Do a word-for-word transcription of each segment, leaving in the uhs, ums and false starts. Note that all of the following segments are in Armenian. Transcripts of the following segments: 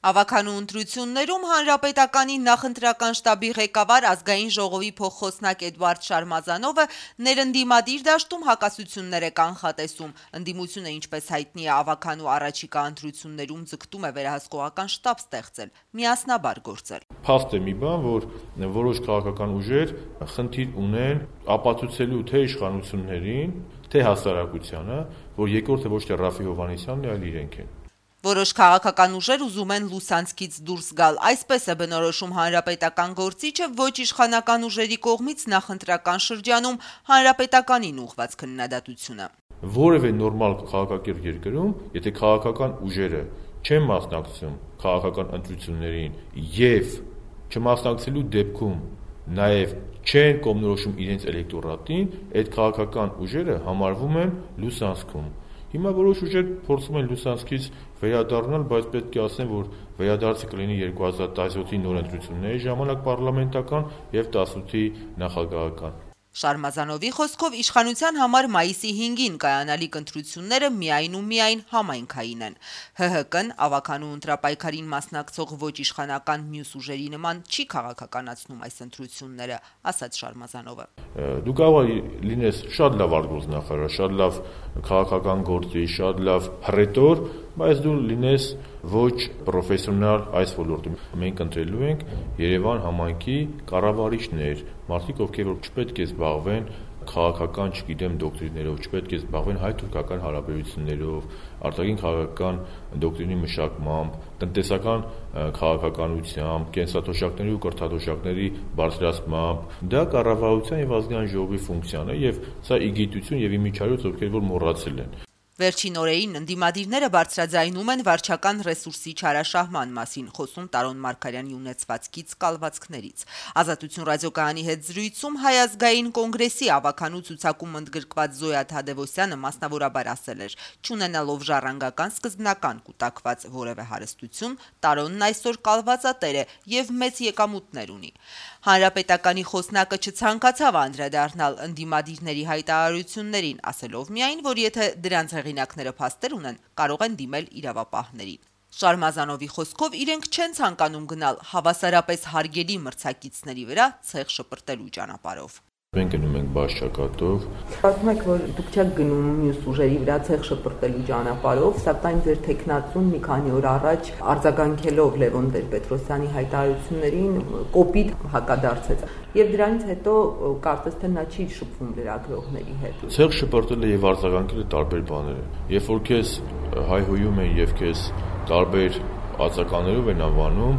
Ավականու ընտրություններում Հանրապետականի նախընտրական շտաբի ղեկավար ազգային ժողովի փոխխոսնակ Էդվարդ Շարմազանովը ներընդդիմադիր դաշտում հակասություններ է կանխատեսում։ Ընդդիմությունը, ինչպես հայտնի է, ավականու առաջիկա ընտրություններում ձգտում է վերահսկողական շտաբ ստեղծել, միասնաբար գործել։ Փաստ է մի բան, որ որոշ քաղաքական ուժեր խնդիր ունեն ապացուցելու թե իշխանություններին, թե հասարակությանը, որ երկրորդը ոչ թե Ռաֆի Հովհաննիսյանն է, այլ իրենք են։ Որոշ քաղաքական ուժեր ուզում են լուսանցքից դուրս գալ, այսպես է բնորոշում հանրապետական գործիչը ոչ իշխանական ուժերի կողմից նախընտրական շրջանում հանրապետականին ուղղված քննադատությունը։ Որևէ նորմալ քաղաքակիրթ երկրում, եթե քաղաքական ուժերը չեն մասնակցում քաղաքական ընտրություններին եւ չմասնակցելու դեպքում նաեւ չեն կողմնորոշում իրենց էլեկտորատին, այդ քաղաքական ուժերը համարվում են լուսանցքում։ Հիմա որոշ ուժեր փորձում են լուսանցքից վերադառնալ, բայց պետք է ասեմ, որ վերադարձը կլինի երկու հազար տասնյոթի նոր ընտրությունների ժամանակ պարլամենտական եւ տասնութի նախագահական։ Շարմազանովի խոսքով իշխանության համար մայիսի հինգին կայանալիք ընտրությունները միայն ու միայն համայնքային են։ ՀՀԿ-ն ավականու ընտրապայքարին մասնակցող ոչ իշխանական մյուս ուժերի նման չի քաղաքականացնում այս ընտրությունները, ասաց Շարմազանովը։ Դու կարող լինես շատ լավ արտգործնախարար, շատ լավ քաղաքական գործի, շատ լավ հռետոր, բայց դու լինես ոչ պրոֆեսիոնալ այս ոլորտում։ Մենք ընտրելու ենք Երևան համայնքի կառավարիչներ, մարդիկ, ովքեր որ չպետք է զբաղվեն քաղաքական, չգիտեմ, դոկտրիներով, չպետք է զբաղվեն հայ-թուրքական հարաբերություններով, արտաքին քաղաքական դոկտրինի մշակմամբ, տնտեսական քաղաքականությամբ, կենսաթոշակների ու կրթաթոշակների բարձրացմամբ։ Դա կառավարության եւ ազգային ժողովի ֆունկցիան է եւ սա իգիտություն եւ իմիջիայլոց, ովքեր որ մոռացել են։ Վերջին օրերին ընդդիմադիրները բարձրաձայնում են վարչական ռեսուրսի չարաշահման մասին, խոսում Տարոն Մարգարյանի ունեցվածքից կալվածքներից։ Ազատություն ռադիոկայանի հետ զրույցում Հայ ազգային կոնգրեսի ավականու ցուցակում ընդգրկված Զոյա Թադևոսյանը մասնավորաբար ասել էր. «Չունենալով ժառանգական սկզբնական կուտակված որևէ հարստություն, Տարոնն այսօր կալվածատեր է եւ մեծ եկամուտներ ունի»։ Հանրապետականի խոսնակը չցանկացավ անդրադառնալ ընդդիմադիրների հայտարարություններին, ասելով միայն, որ եթե դրանց հեղինակները փաստեր ունեն, կարող են դիմել իրավապահներին։ Շարմազանովի խոսքով իրենք չեն ցանկանում գնալ հավասարապես հարգելի մրցակիցների վրա ցեղ շպրտելու ճանապարհով։ Մենք գնում ենք բաց ճակատով։ Ասում եք, որ դուք չեք գնում մյուս ուժերի վրա ցեղ շպրտելու ճանապարհով, սակայն ձեր տեխնացուն մի քանի օր առաջ արձագանքելով Լևոն Տեր-Պետրոսյանի հայտարարություններին կոպիտ հակադարձեց։ Եվ դրանից հետո կարծես թե նա չի շփվում լրագրողների հետ։ Ցեղ շպրտելը եւ արձագանքելը տարբեր բաներ են։ Երբ որ քեզ հայհոյում են եւ քեզ տարբեր արձագանքներով են անվանում,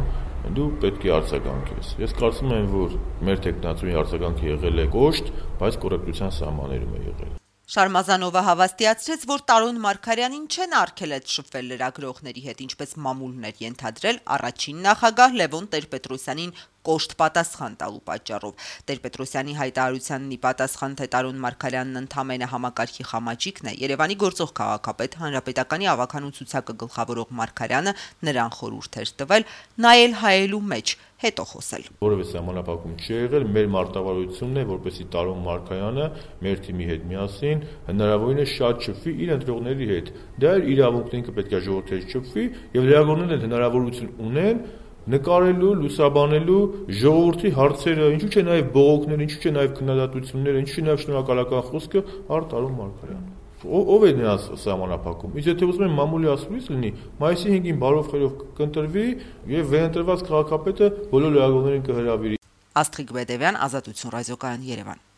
դու պետք է արձագանքես։ Ես կարծում եմ, որ մեր տեխնացուի արձագանքը եղել է կոշտ, բայց կոռեկտության սահմաններում է եղել։ Շարմազանովը հավաստիացրեց, որ Տարոն Մարգարյանին չեն արգելեց շփվել լրագրողների հետ, ինչպես մամուլն էր ենթադրել առաջին նախագահ Լևոն Տեր-Պետրոսյանին կոշտ պատասխան տալու պատճառով։ Տեր-Պետրոսյանի հայտարարությանն ի պատասխան, թե Տարոն Մարգարյանն ընդամենը համակարգի խամաճիկն է, Երևանի գործող քաղաքապետ Հանրապետականի ավականու ցուցակը գլխավորող Մարգարյանը նրան խորհուրդ էր տվել նայել հայելու մեջ, հետո խոսել։ Որևէ սահմանափակում չի եղել, մեր մարտավարությունն է, որպեսզի Տարոն Մարգարյանը մեր թիմի հետ միասին հնարավորինս շատ շփվի իր ընտրողների հետ։ Դա իր իրավունքն է, ինքը պետք է ժողովրդի հետ շփվի եւ լրագրողներն հնարավորություն ունեն նկարելու, լուսաբանելու ժողովրդի հարցերը, ինչու՞ չէ նաև բողոքները, ինչու՞ չէ նաև քննադատությունները, ինչու՞ չէ նաև շնորհակալական խոսքը առ Տարոն Մարգարյանը։ Ով է նրանց սահմանափակում։ Իսկ եթե ուզում են մամուլի ասուլիս լինի, մայիսի հինգին բարով խերով կընտրվի եւ վերընտրված քաղաքապետը բոլոր լրագրողներին կհրավիրի։ Աստղիկ Բեդևյան, Ազատություն ռադիոկայան, Երևան։